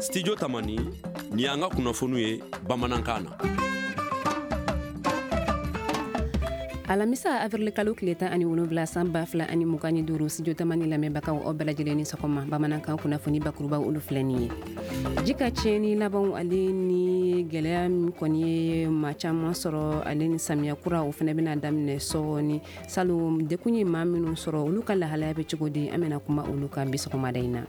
Studio Tamani, nin y'an ka kunnafoniw ye bamanankan na. Alamisa avril kalo tile 17 san 2025, Studio Tamani lamɛnbagaw, aw bɛɛ lajɛlen ni sɔgɔma. Bamanankan kunnafoni bakurubaw, olu filɛ nin ye. Ji ka tiɲɛni labanw ale ni gɛlɛya min kɔni ye maa caman sɔrɔ, ale ni samiya kura, o fana bɛna daminɛ sɔɔni. Salon dekun ye maa minnu sɔrɔ, olu ka lahalaya bɛ cogo di? An bɛna kuma olu kan bi sɔgɔmada in na.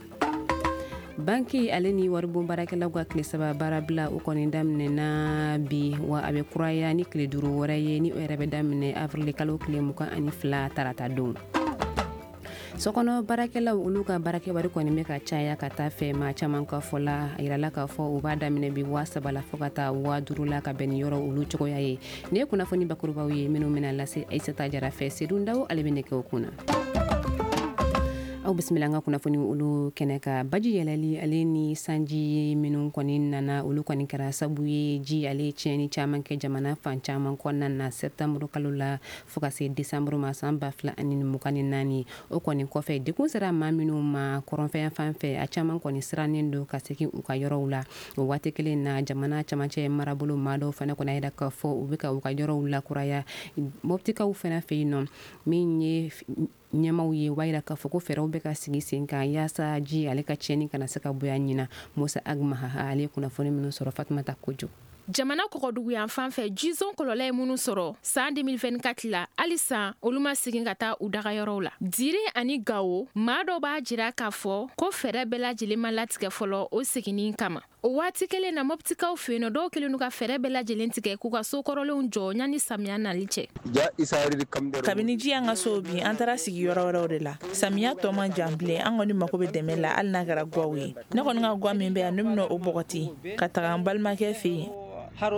Banki ale ni waribon baarakɛlaw ka tile 3 baarabila, o kɔni daminɛna bi, wa a bɛ kuraya ni tile 5 wɛrɛ ye, ni o yɛrɛ bɛ daminɛ avril kalo tile 22, tarata don. Sokɔnɔ baarakɛlaw, olu ka baarakɛ wari kɔni bɛ ka caya ka taa fɛ. Maa caman ka fɔ la, a yirala k'a fɔ u b'a daminɛ bi 3000 la fo ka taa 5000 la, ka bɛn ni yɔrɔ olu cogoya ye. Nin ye kunnafoni bakurubaw ye minnu bɛna lase Aïssata Jara fɛ. Seydou Ndaw, ale bɛ nɛgɛw kunna. Aw bisimila an ka kunnafoni olu kɛnɛ kan. Baji yɛlɛli ale ni sanji minnu kɔni nana, olu kɔni kɛra sabu ye ji ale tiɲɛni caman kɛ jamana fan caman kɔnɔna na septembre kalo la fo ka se décembre ma san 2024. O kɔni kɔfɛ, dekun sera maa minnu ma kɔrɔnfɛ fan fɛ, a caman kɔni sirannen don ka segin u ka yɔrɔw la. O waati kelen na, jamana camancɛ marabolo maa dɔw fana kɔni yira k'a fɔ u bɛ ka u ka yɔrɔw lakuraya. Moptikaw fana fɛ yen nɔ, min ye ɲɛmaw ye, o b'a yira k'a fɔ ko fɛɛrɛw bɛ ka sigi sen kan yaasa ji ale ka tiɲɛni kana se ka bonya ɲina. Musa Agmaha, ale ye kunnafoni minnu sɔrɔ, Fatumata Kojo. Jamana kɔgɔduguyan fan fɛ, jizon kɔlɔlɔ ye minnu sɔrɔ san 2024 la, halisa olu ma segin ka taa u dagayɔrɔw la. Diri ani Gawo maa dɔ b'a jira k'a fɔ ko fɛɛrɛ bɛɛ lajɛlen ma latigɛ fɔlɔ o seginni kama. O waati kelen na, Mɔptikaw fɛ yen nɔ, dɔw kɛlen don ka fɛɛrɛ bɛɛ lajɛlen tigɛ k'u ka so kɔrɔlenw jɔ yanni samiya nali cɛ. Kabini ji y'an ka so bin, an taara sigi yɔrɔ wɛrɛw de la. Samiya tɔ man jan bilen. An kɔni mako bɛ dɛmɛ la, hali n'a kɛra gwaw ye. Ne kɔni ka gwa min bɛ yan, ne bɛna o bɔgɔti ka taga n balimakɛ fɛ yen. An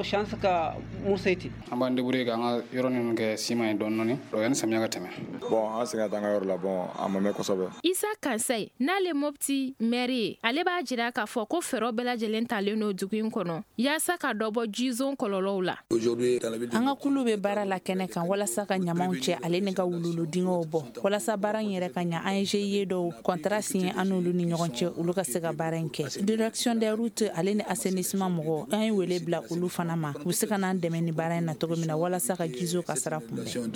b'an débrouiller k'an ka yɔrɔ ninnu kɛ siman ye dɔɔni dɔɔni yanni samiya ka tɛmɛ. Bon, an segin ka taa an ka yɔrɔ la. Bon, a ma mɛn kosɛbɛ. Isa Kansai, n'ale Mopti maire ye, ale b'a jira k'a fɔ ko fɛɛrɛ bɛɛ lajɛlen talen don dugu in kɔnɔ yaasa ka dɔ bɔ jizon kɔlɔlɔw la. An ka kulu bɛ baara la kɛnɛ kan walasa ka ɲamaw cɛ ale ni ka wululu dingɛw bɔ. Walasa baara in yɛrɛ ka ɲa, an ye GIE dɔw contrat signé an n'olu ni ɲɔgɔn cɛ, olu ka se ka baara in kɛ. Direction des routes ale ni assainissement mɔgɔw, an ye wele bila olu fana ma, u bɛ se ka n'an dɛmɛ ni baara in na cogo min na walasa ka jizo kasara kunbɛn.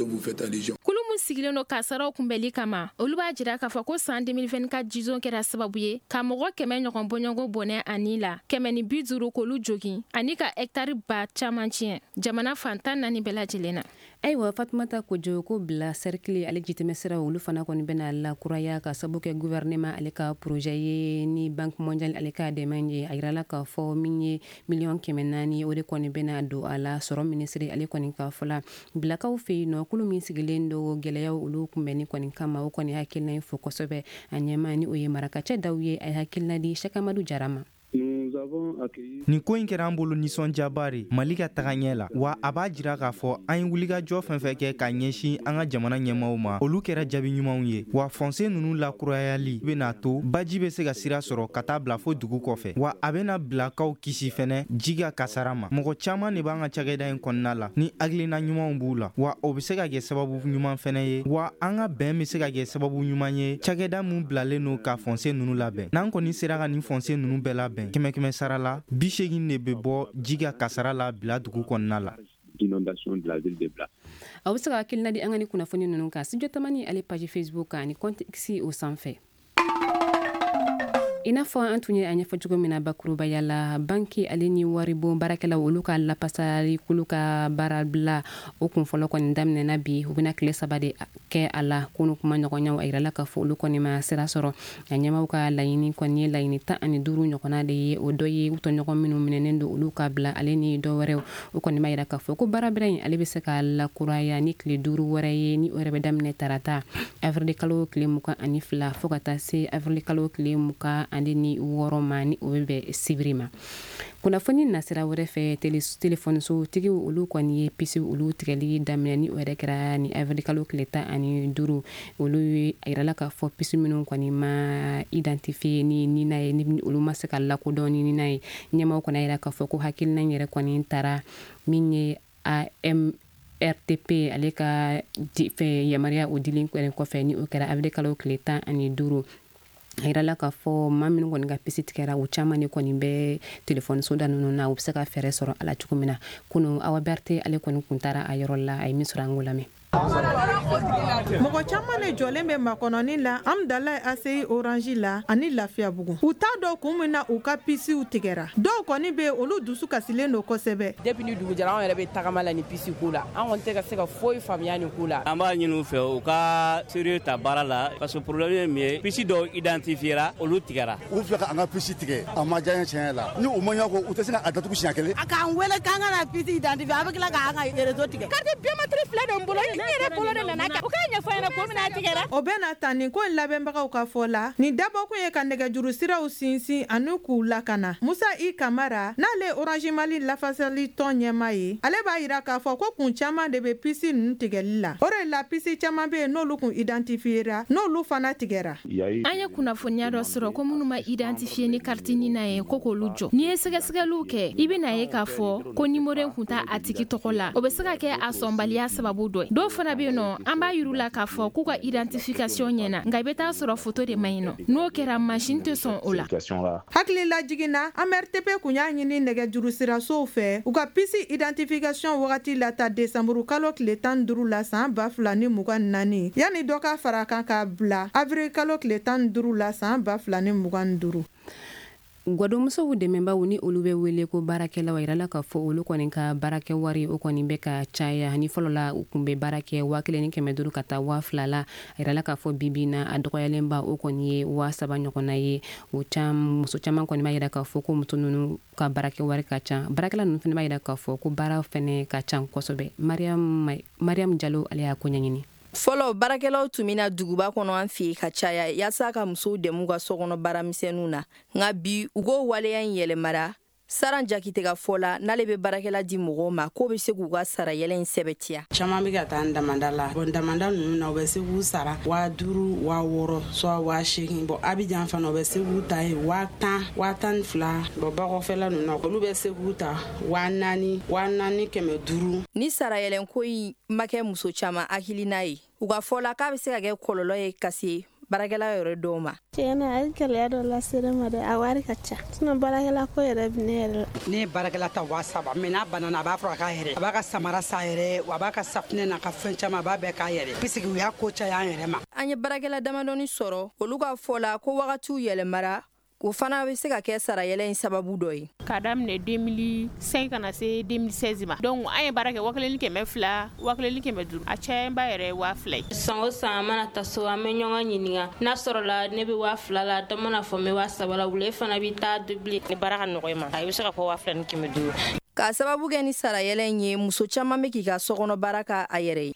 Kulu min sigilen don kasaraw kunbɛli kama, olu b'a jira k'a fɔ ko san 2024 jizon kɛra sababu ye ka mɔgɔ 100 ɲɔgɔn bɔɲɔgɔn bɔnɛ ani la 150 k'olu jogin ani ka hɛkitari ba caman tiɲɛ jamana fan 14 bɛɛ lajɛlen na. Ayiwa, Fatumata Kojo, ko Bila cercle ale jitɛmɛ sira, olu fana kɔni bɛna lakuraya ka sabu kɛ gouvernement ale ka projet ye ni Banque mondiale ale ka dɛmɛ ye. A yirala k'a fɔ min ye miliyɔn 400, o de kɔni bɛna don a la. Sɔrɔ minisiri ale kɔni ka fɔ la, Bilakaw fɛ yen nɔ, kulu min sigilen don gɛlɛyaw olu kunbɛnni kɔni kama, o kɔni hakilina in fo kosɛbɛ. A ɲɛma, ni o ye Marakacɛ Daw ye, a ye hakilina di Sɛkamadu Jara ma. Nin ko in kɛra an bolo nisɔndiyaba de Mali ka taga ɲɛ la, wa a b'a jira k'a fɔ an ye wulikajɔ fɛn fɛn kɛ ka ɲɛsin an ka jamana ɲɛmaw ma, olu kɛra jaabi ɲumanw ye. Wa fossé ninnu lakurayali bɛna to baji bɛ se ka sira sɔrɔ ka taa bila fo dugu kɔfɛ, wa a bɛna Bilakaw kisi fɛnɛ ji ka kasara ma. Mɔgɔ caman de b'an ka cakɛda in kɔnɔna la ni hakilina ɲumanw b'u la, wa o bɛ se ka kɛ sababu ɲuman fɛnɛ ye, wa an ka bɛn bɛ se ka kɛ sababu ɲuman ye. Cakɛda mun bilalen don ka fossé ninnu labɛn, n'an kɔni sera ka nin fossé ninnu bɛɛ labɛn, kɛmɛ kɛmɛ sara la, 80 de bɛ bɔ ji ka kasara la Bila dugu kɔnɔna la. Aw bɛ se ka hakilina di an ka ni kunnafoni ninnu kan Studio Tamani ale page Facebook kan ani compte X o sanfɛ. I n'a fɔ an tun ye a ɲɛfɔ cogo min na bakurubaya la, banki ale ni waribon baarakɛlaw, olu ka lapasali kulu ka baarabila, o kun fɔlɔ kɔni daminɛna bi. U bɛna tile 3 de kɛ a la. Kunu kuma ɲɔgɔnyaw, a yirala k'a fɔ olu kɔni ma sira sɔrɔ. A ɲɛmaw ka laɲini kɔni ye laɲini 15 ɲɔgɔnna de ye. O dɔ ye u tɔɲɔgɔn minnu minɛnen don, olu ka bila, ale ni dɔ wɛrɛw. O kɔni b'a yira k'a fɔ ko baarabila in ale bɛ se ka lakuraya ni tile 5 wɛrɛ ye, ni o yɛrɛ bɛ daminɛ tarata avril kalo tile 22 fo ka taa se avril kalo tile 26 ma, ni o bɛ bɛn sibiri ma. Kunnafoni nasira wɛrɛ fɛ, telefɔnisotigiw, olu kɔni ye puce olu tigɛli daminɛ, ni o yɛrɛ kɛra ni avril kalo tile 15. Olu ye a yirala k'a fɔ puce minnu kɔni ma identifié ni NINA ye, ni olu ma se ka lakodɔn ni NINA ye. Ɲɛmaaw kɔni yira k'a fɔ ko hakilina in yɛrɛ kɔni taara min ye AMRTP ale ka fɛ yamaruya o dilen kɔfɛ, ni o kɛra avril kalo tile 15. A yirala k'a fɔ maa minnu kɔni ka puce tigɛra, u caman de kɔni bɛ telefɔni soda ninnu na, u bɛ se ka fɛɛrɛ sɔrɔ a la cogo min na. Kunu, Awa Berete, ale kɔni kun taara a yɔrɔ la, a ye min sɔrɔ, an k'o lamɛn. Mɔgɔ caman de jɔlen bɛ makɔnɔni la Amdalaye ACI Orange la ani Lafiyabugu. U t'a dɔn kun min na u ka pisiw tigɛra. Dɔw kɔni bɛ yen, olu dusu kasilen don kosɛbɛ. Depuis ni dugu jɛra, anw yɛrɛ bɛ tagama la ni puce ko la. An kɔni tɛ ka se ka foyi faamuya nin ko la. An b'a ɲini u fɛ, u ka sérieux ta baara la, parce que problème ye min ye, puce dɔw identifiera, olu tigɛra. U filɛ ka an ka puce tigɛ, a ma diya n ye tiɲɛ yɛrɛ la. Ni u ma ɲɛ ko u tɛ se k'a datugu siɲɛ kelen. A k'an wele k'an ka na puce identifier, a bɛ tila k'an ka réseau tigɛ. Carte biométrique filɛ de n bolo, n yɛrɛ bolo de nana kɛ. U k'a ɲɛfɔ ɲɛna ko min na a tigɛra. O bɛ na ta nin ko in labɛnbagaw ka fɔ la, nin dabɔkun ye ka nɛgɛjuru siraw sinsin ani k'u lakana. Musa I Kamara, n'ale ye Orange Mali lafasali tɔn ɲɛmaa ye, ale b'a yira k'a fɔ ko kun caman de bɛ puce ninnu tigɛli la. O de la, puce caman bɛ yen, n'olu kun identifiera, n'olu fana tigɛra. An ye kunnafoniya dɔ sɔrɔ ko minnu ma identifier ni carte NINA ye, ko k'olu jɔ. N'i ye sɛgɛsɛgɛliw kɛ, i bɛna ye k'a fɔ ko numéro in kun t'a a tigi tɔgɔ la. O bɛ se ka kɛ a sɔnbaliya sababu dɔ ye. Dɔw fana bɛ yen nɔ, an b'a yir'u la k'a fɔ k'u ka identification ɲɛna, nka i bɛ taa sɔrɔ photo de man ɲi nɔ. N'o kɛra, machine tɛ sɔn o la. Hakili lajiginna, AMRTP kun y'a ɲini nɛgɛjuru sirasow fɛ, u ka puce identification wagati lata desanburu kalo tile 15 la san 2024, yanni dɔ ka fara a kan k'a bila avril kalo tile 15 la san 2025. Gwadonmusow dɛmɛbaw, ni olu bɛ wele ko baarakɛlaw, a yirala k'a fɔ olu kɔni ka baarakɛ wari, o kɔni bɛ ka caya. Ni fɔlɔ la, u kun bɛ baara kɛ 1500 ka taa 2000 la, a yirala k'a fɔ bibi na, a dɔgɔyalenba, o kɔni ye 3000 ɲɔgɔnna ye. O muso caman kɔni b'a yira k'a fɔ ko muso ninnu ka baarakɛ wari ka ca. Baarakɛla ninnu fana b'a yira k'a fɔ ko baara fɛnɛ ka ca kosɛbɛ. Mariam Jalo, ale y'a ko ɲɛɲini. Fɔlɔ, baarakɛlaw tun bɛna duguba kɔnɔ an fɛ yen ka caya yaasa ka musow dɛmɛ u ka sokɔnɔ baaramisɛnninw na. Nka bi, u k'o waleya in yɛlɛmara. Saran Jakite ka fɔ la, n'ale bɛ baarakɛla di mɔgɔw ma, k'o bɛ se k'u ka sarayɛlɛ in sɛbɛtiya. Caman bɛ ka taa damanda la. Bon, damanda ninnu na, u bɛ se k'u sara 5000, 6000, soit 8000. Bon, Abijan fana, u bɛ se k'u ta yen 10 000, 12 000. Bon, bakɔfɛla ninnu na, olu bɛ se k'u ta 4000, 4500. Ni sarayɛlɛnko in ma kɛ muso caman hakilina ye, u ka fɔ la, k'a bɛ se ka kɛ kɔlɔlɔ ye ka se baarakɛla yɛrɛ dɔw ma. Tiɲɛna, a ye gɛlɛya dɔ lase ne ma dɛ. A wari ka ca, sinon baarakɛla ko yɛrɛ bi ne yɛrɛ la. Ne ye baarakɛla ta 3000, mais n'a banana, a b'a fɔ a k'a yɛrɛ, a b'a ka samara san yɛrɛ, a b'a ka safunɛ n'a ka fɛn caman, a b'a bɛɛ k'a yɛrɛ, puisque u y'a ko caya an yɛrɛ ma. An ye baarakɛla damadɔni sɔrɔ, olu ka fɔ la ko wagatiw yɛlɛmara, o fana bɛ se ka kɛ sarayɛlɛ in sababu dɔ ye. K'a daminɛ 2005 ka na se 2016 ma, donc an ye baara kɛ 1200, 1500, a cayalenba yɛrɛ ye 2000 ye. San o san, an mana taa so, an bɛ ɲɔgɔn ɲininka n'a sɔrɔla ne bɛ 2000 la, dɔ mana fɔ n bɛ 3000 la, wule fana bɛ taa doubler. Ni baara ka nɔgɔ i ma, a bɛ se ka fɔ 2500. K'a sababu kɛ ni sarayɛlɛ in ye, muso caman bɛ k'i ka sokɔnɔ baara k'a yɛrɛ ye.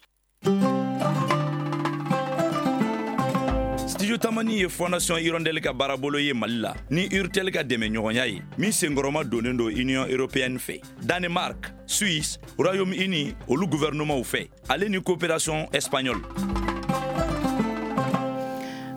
Studio Tamani ye Fondation Hirondelle ka baarabolo ye Mali la ni Urtel ka dɛmɛ ɲɔgɔnya ye, min senkɔrɔma donnen don Union européenne fɛ, Danemark, Suisse, Royaume-Uni, olu gouvernement fɛ, ale ni coopération espagnole.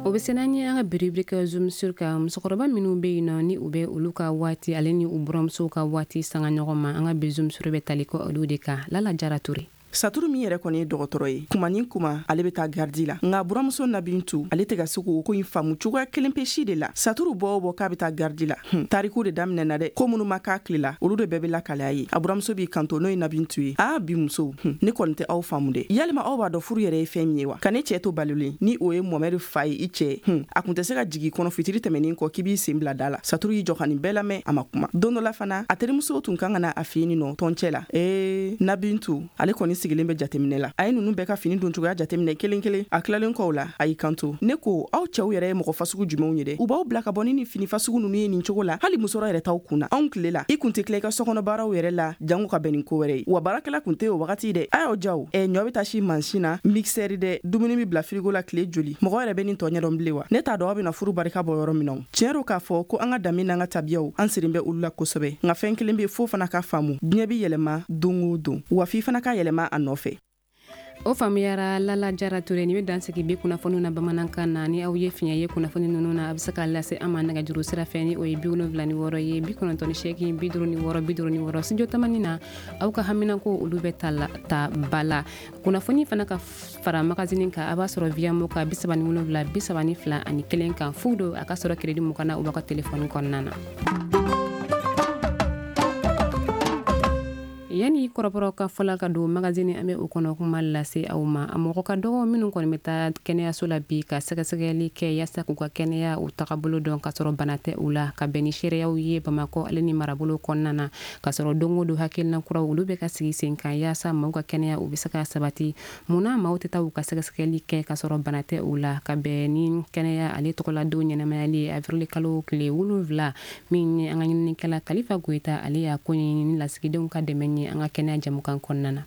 O bɛ se n'an ye an ka bi rubrique Zoom sur kan. Musokɔrɔba minnu bɛ yen nɔ, ni u bɛ olu ka waati ale ni u buramusow ka waati sanga ɲɔgɔn ma, an ka bi Zoom sur bɛ tali kɛ olu de kan. Lala Jara Ture. Saturu min yɛrɛ kɔni ye dɔgɔtɔrɔ ye, kuma ni kuma ale bɛ taa garde la, nka buramuso Nabintu, ale tɛ ka se k'o ko in faamu cogoya kelen pe si de la. Saturu bɔ o bɔ k'a bɛ taa garde la, tariku de daminɛna dɛ. Ko minnu ma k'a tile la, olu de bɛɛ bɛ lakale ye. A buramuso b'i kanto, n'o ye Nabintu ye: "Aa, bi musow, ne kɔni tɛ aw faamu dɛ. Yalima aw b'a dɔn furu yɛrɛ ye fɛn min ye wa? Ka ne cɛɛ to balolen, ni o ye Mɔmɛri fa ye, i cɛɛ, a kun tɛ se ka jigi kɔnɔ fitiri tɛmɛnin kɔ k'i b'i sen bila da la." Saturu y'i jɔ ka nin bɛɛ lamɛn, a ma kuma. Don dɔ la fana, a terimusow tun kan ka na a fɛ yen nɔ tɔncɛ la. Ee, Nabintu, ale kɔni sigilen bɛ jateminɛ la. A ye ninnu bɛɛ ka fini don cogoya jateminɛ kelen kelen. A tilalen kɔw la, a y'i kanto: "Ne ko, aw cɛw yɛrɛ ye mɔgɔ fasugu jumɛnw ye dɛ, u b'aw bila ka bɔ ni nin fini fasugu ninnu ye nin cogo la? Hali musɔrɔ yɛrɛ t'aw kun na. Anw tile la, i kun tɛ tila i ka sokɔnɔ baaraw yɛrɛ la, jango ka bɛn nin ko wɛrɛ ye. Wa baarakɛla kun tɛ o wagati dɛ. A y'aw jaw ɛ, ɲɔ bɛ taa si mansin na, mixeur dɛ, dumuni bɛ bila frigo la tile joli. Mɔgɔ yɛrɛ bɛ nin tɔ ɲɛdɔn bilen wa? Ne t'a dɔn aw bɛna furu barika bɔ yɔrɔ min na. Tiɲɛ don k'a fɔ ko an ka danbe n'an ka tabiyaw, an sirin bɛ olu la kosɛbɛ, nka fɛn kelen bɛ fo fana ka faamu: diɲɛ bɛ yɛlɛma don o don, wa f'i fana ka yɛlɛma a nɔfɛ." O faamuyara. Lala Jara Ture, ni bɛ dansigi bi kunnafoniw na bamanankan na. Ni aw ye fiɲɛ ye kunnafoni ninnu na, a bɛ se k'a lase an ma nɛgɛjuru sira fɛ, ni o ye 76 ye, 98 56 56. Studio Tamani na, aw ka haminako olu bɛ ta la ta ba la. Kunnafoni fana ka fara magazine kan, a b'a sɔrɔ Viamo ka 37 32 ani 1 kan fu don, a ka sɔrɔ crédit 20 na u b'a ka telefɔni kɔnɔna na. Yanni kɔrɔbɔrɔ ka fɔla ka don magazine, an bɛ o kɔnɔ kuma lase aw ma. A mɔgɔ ka dɔgɔ minnu kɔni bɛ taa kɛnɛyaso la bi ka sɛgɛsɛgɛli kɛ yaasa k'u ka kɛnɛya u tagabolo dɔn, ka sɔrɔ bana tɛ u la, ka bɛn ni seereyaw ye Bamakɔ ale ni marabolo kɔnɔna na, ka sɔrɔ don o don hakilina kuraw olu bɛ ka sigi sen kan yaasa maaw ka kɛnɛya u bɛ se ka sabati. Munna maaw tɛ taa u ka sɛgɛsɛgɛli kɛ ka sɔrɔ bana tɛ u la? Ka bɛn ni kɛnɛya ale tɔgɔladon ɲɛnamayali ye avril kalo tile 7, min ye an ka ɲininikɛla Kalifa Goyita, ale y'a ko ɲɛɲini lasigidenw ka dɛmɛ ye an ka kɛnɛya jamukan kɔnɔna na.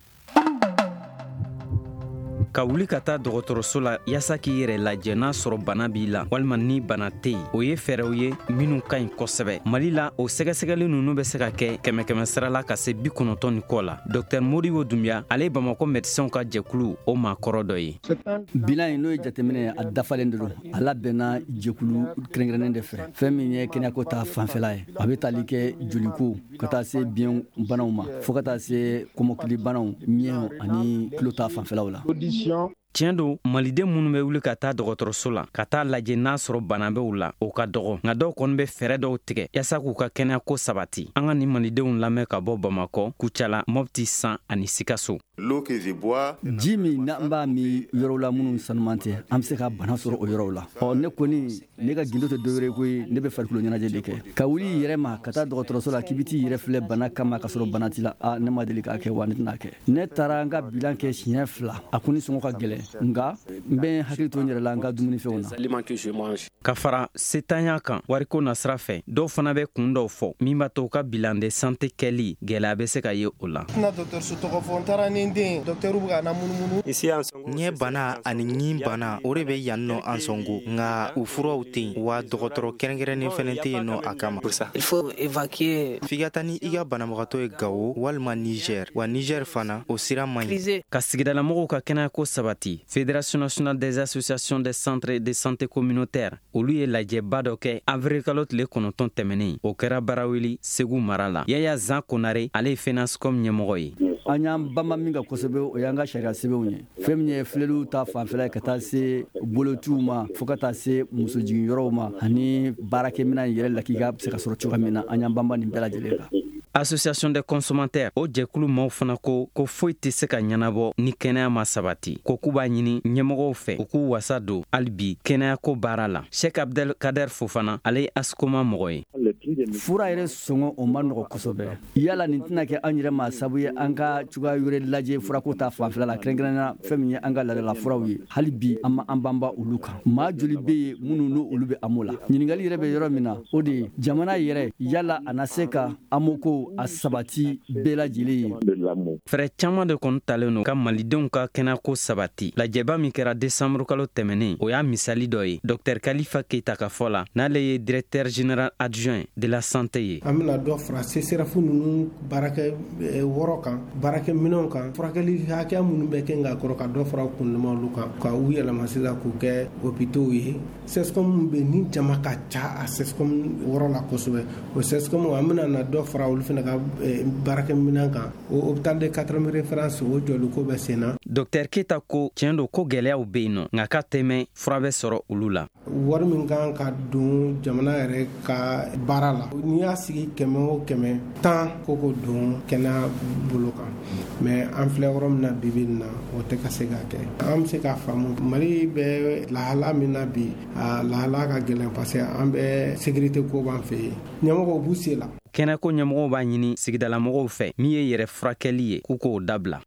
Ka wuli ka taa dɔgɔtɔrɔso la yaasa k'i yɛrɛ lajɛ n'a sɔrɔ bana b'i la walima ni bana tɛ yen, o ye fɛɛrɛw ye minnu ka ɲi kosɛbɛ. Mali la, o sɛgɛsɛgɛli ninnu bɛ se ka kɛ kɛmɛ kɛmɛ sira la ka se 90 ni kɔ la. Dr Modibo Dunbiya, ale ye Bamakɔ médecins ka jɛkulu o maakɔrɔ dɔ ye. Bilan in, n'o ye jateminɛ ye, a dafalen de don. A labɛnna jɛkulu kɛrɛnkɛrɛnnen de fɛ. Fɛn min ye kɛnɛyako ta fanfɛla ye, a bɛ tali kɛ joliko ka taa se biɲɛ banaw ma, fo ka taa se kɔmɔkili banaw, ɲɛ ani tulo ta fanfɛlaw la. Tiɲɛ don, maliden minnu bɛ wuli ka taa dɔgɔtɔrɔso la ka taa lajɛ n'a sɔrɔ bana bɛ u la, o ka dɔgɔ. Nka dɔw kɔni bɛ fɛɛrɛ dɔw tigɛ yaasa k'u ka kɛnɛyako sabati. An ka nin malidenw lamɛn ka bɔ Bamakɔ, Kucala, Mɔpti, San ani Sikaso. Ji min n'an b'a min yɔrɔw la minnu sanuman tɛ, an bɛ se ka bana sɔrɔ o yɔrɔw la. Ɔ, ne kɔni, ne ka gindo tɛ dɔwɛrɛ koyi, ne bɛ farikolo ɲɛnajɛ de kɛ. Ka wuli i yɛrɛ ma ka taa dɔgɔtɔrɔso la k'i bɛ t'i yɛrɛ filɛ bana kama ka sɔrɔ bana t'i la, a ne ma deli k'a kɛ, wa ne tɛna kɛ. Ne taara n ka bilan kɛ siɲɛ 2, a ko ni sɔngɔ ka gɛlɛn, nka n bɛ hakili to n yɛrɛ la n ka dumunifɛnw na. Ka fara setanya kan wariko nasira fɛ, dɔw fana bɛ kun dɔw fɔ min b'a to u ka bilan de santé kɛli gɛlɛya bɛ se ka ye o la. Tɛna dɔgɔtɔrɔso tɔgɔ fɔ, n taara ni n den, dɔgɔtɔrɔw bɛ ka na munumunu. Ɲɛ bana ani ɲin bana, o de bɛ yan nɔ Ansongo, nka u furaw tɛ yen, wa dɔgɔtɔrɔ kɛrɛnkɛrɛnnen fɛnɛ tɛ yen nɔ a kama. F'i ka taa ni i ka banabagatɔ ye Gawo walima Niger, wa Niger fana o sira man ɲi. Ka sigidalamɔgɔw ka kɛnɛyako sabati, Fédération nationale des associations des centres de santé communautaire, olu ye lajɛba dɔ kɛ avril kalo tile 9 tɛmɛnen. O kɛra Baraweli, Segu mara la. Yaya Zan Konare, ale ye FENASCOM ɲɛmɔgɔ ye. An y'an banba min kan kosɛbɛ, o y'an ka sariya sɛbɛnw ye. Fɛn min ye filɛliw ta fanfɛla ye, ka taa se bolotiw ma, fo ka taa se musojigiyɔrɔw ma, ani baarakɛminɛn yɛrɛ lakika bɛ se ka sɔrɔ cogoya min na, an y'an banba nin bɛɛ lajɛlen kan. Association des consommateurs, o jɛkulu maaw fana ko ko foyi tɛ se ka ɲɛnabɔ ni kɛnɛya ma sabati, ko k'u b'a ɲini ɲɛmɔgɔw fɛ u k'u wasa don hali bi kɛnɛyako baara la. Sheikh Abdel Kader Fofana, ale ye ASCOMA mɔgɔ ye. Fura yɛrɛ sɔngɔ, o ma nɔgɔ kosɛbɛ. Yala nin tɛna kɛ an yɛrɛ ma sabu ye an ka cogoya wɛrɛ lajɛ furako ta fanfɛla la, kɛrɛnkɛrɛnnenya fɛn min ye an ka laadala furaw ye? Hali bi an ma an banba olu kan. Maa joli bɛ yen minnu n'o olu bɛ AMO la? Ɲininkali yɛrɛ bɛ yɔrɔ min na, o de ye jamana yɛrɛ, yala a na se ka AMO ko a sabati bɛɛ lajɛlen ye? Fɛɛrɛ caman de kɔni talen don ka malidenw ka kɛnɛyako sabati. Lajɛba min kɛra desanburu kalo tɛmɛnen, o y'a misali dɔ ye. Dr Kalifa Keita ka fɔ la, n'ale ye directeur général adjoint de la santé ye. An bɛna dɔ fara CSRéf ninnu baarakɛ wɔrɔ kan, baarakɛminɛnw kan, furakɛli hakɛya minnu bɛ kɛ nka kɔrɔ, ka dɔ fara kundama olu kan, ka u yɛlɛma sisan k'u kɛ hôpitaux ye. CSCOM bɛ ni jama ka ca a CSCOM wɔrɔ la kosɛbɛ, o CSCOM, an bɛna na dɔ fara olu fana ka baarakɛminɛn kan. O hôpital de quatrième référence, o jɔliko bɛ sen na. Dr Keita ko tiɲɛ don ko gɛlɛyaw bɛ yen nɔ, nka k'a tɛmɛ fura bɛ sɔrɔ olu la. Wari min kan ka don jamana yɛrɛ ka baara la, n'i y'a sigi 100 o 100, 10 ko k'o don kɛnɛya bolo kan, mais an filɛ yɔrɔ min na bi bi in na, o tɛ ka se ka kɛ. An bɛ se k'a faamu, Mali bɛ lahala min na bi, a lahala ka gɛlɛn, parce que an bɛ sécurité ko b'an fɛ yen, ɲɛmɔgɔw b'u se la. Kɛnɛko ɲɛmɔgɔw b'a ɲini sigidalamɔgɔw fɛ, min ye yɛrɛ furakɛli ye, k'u k'o dabila.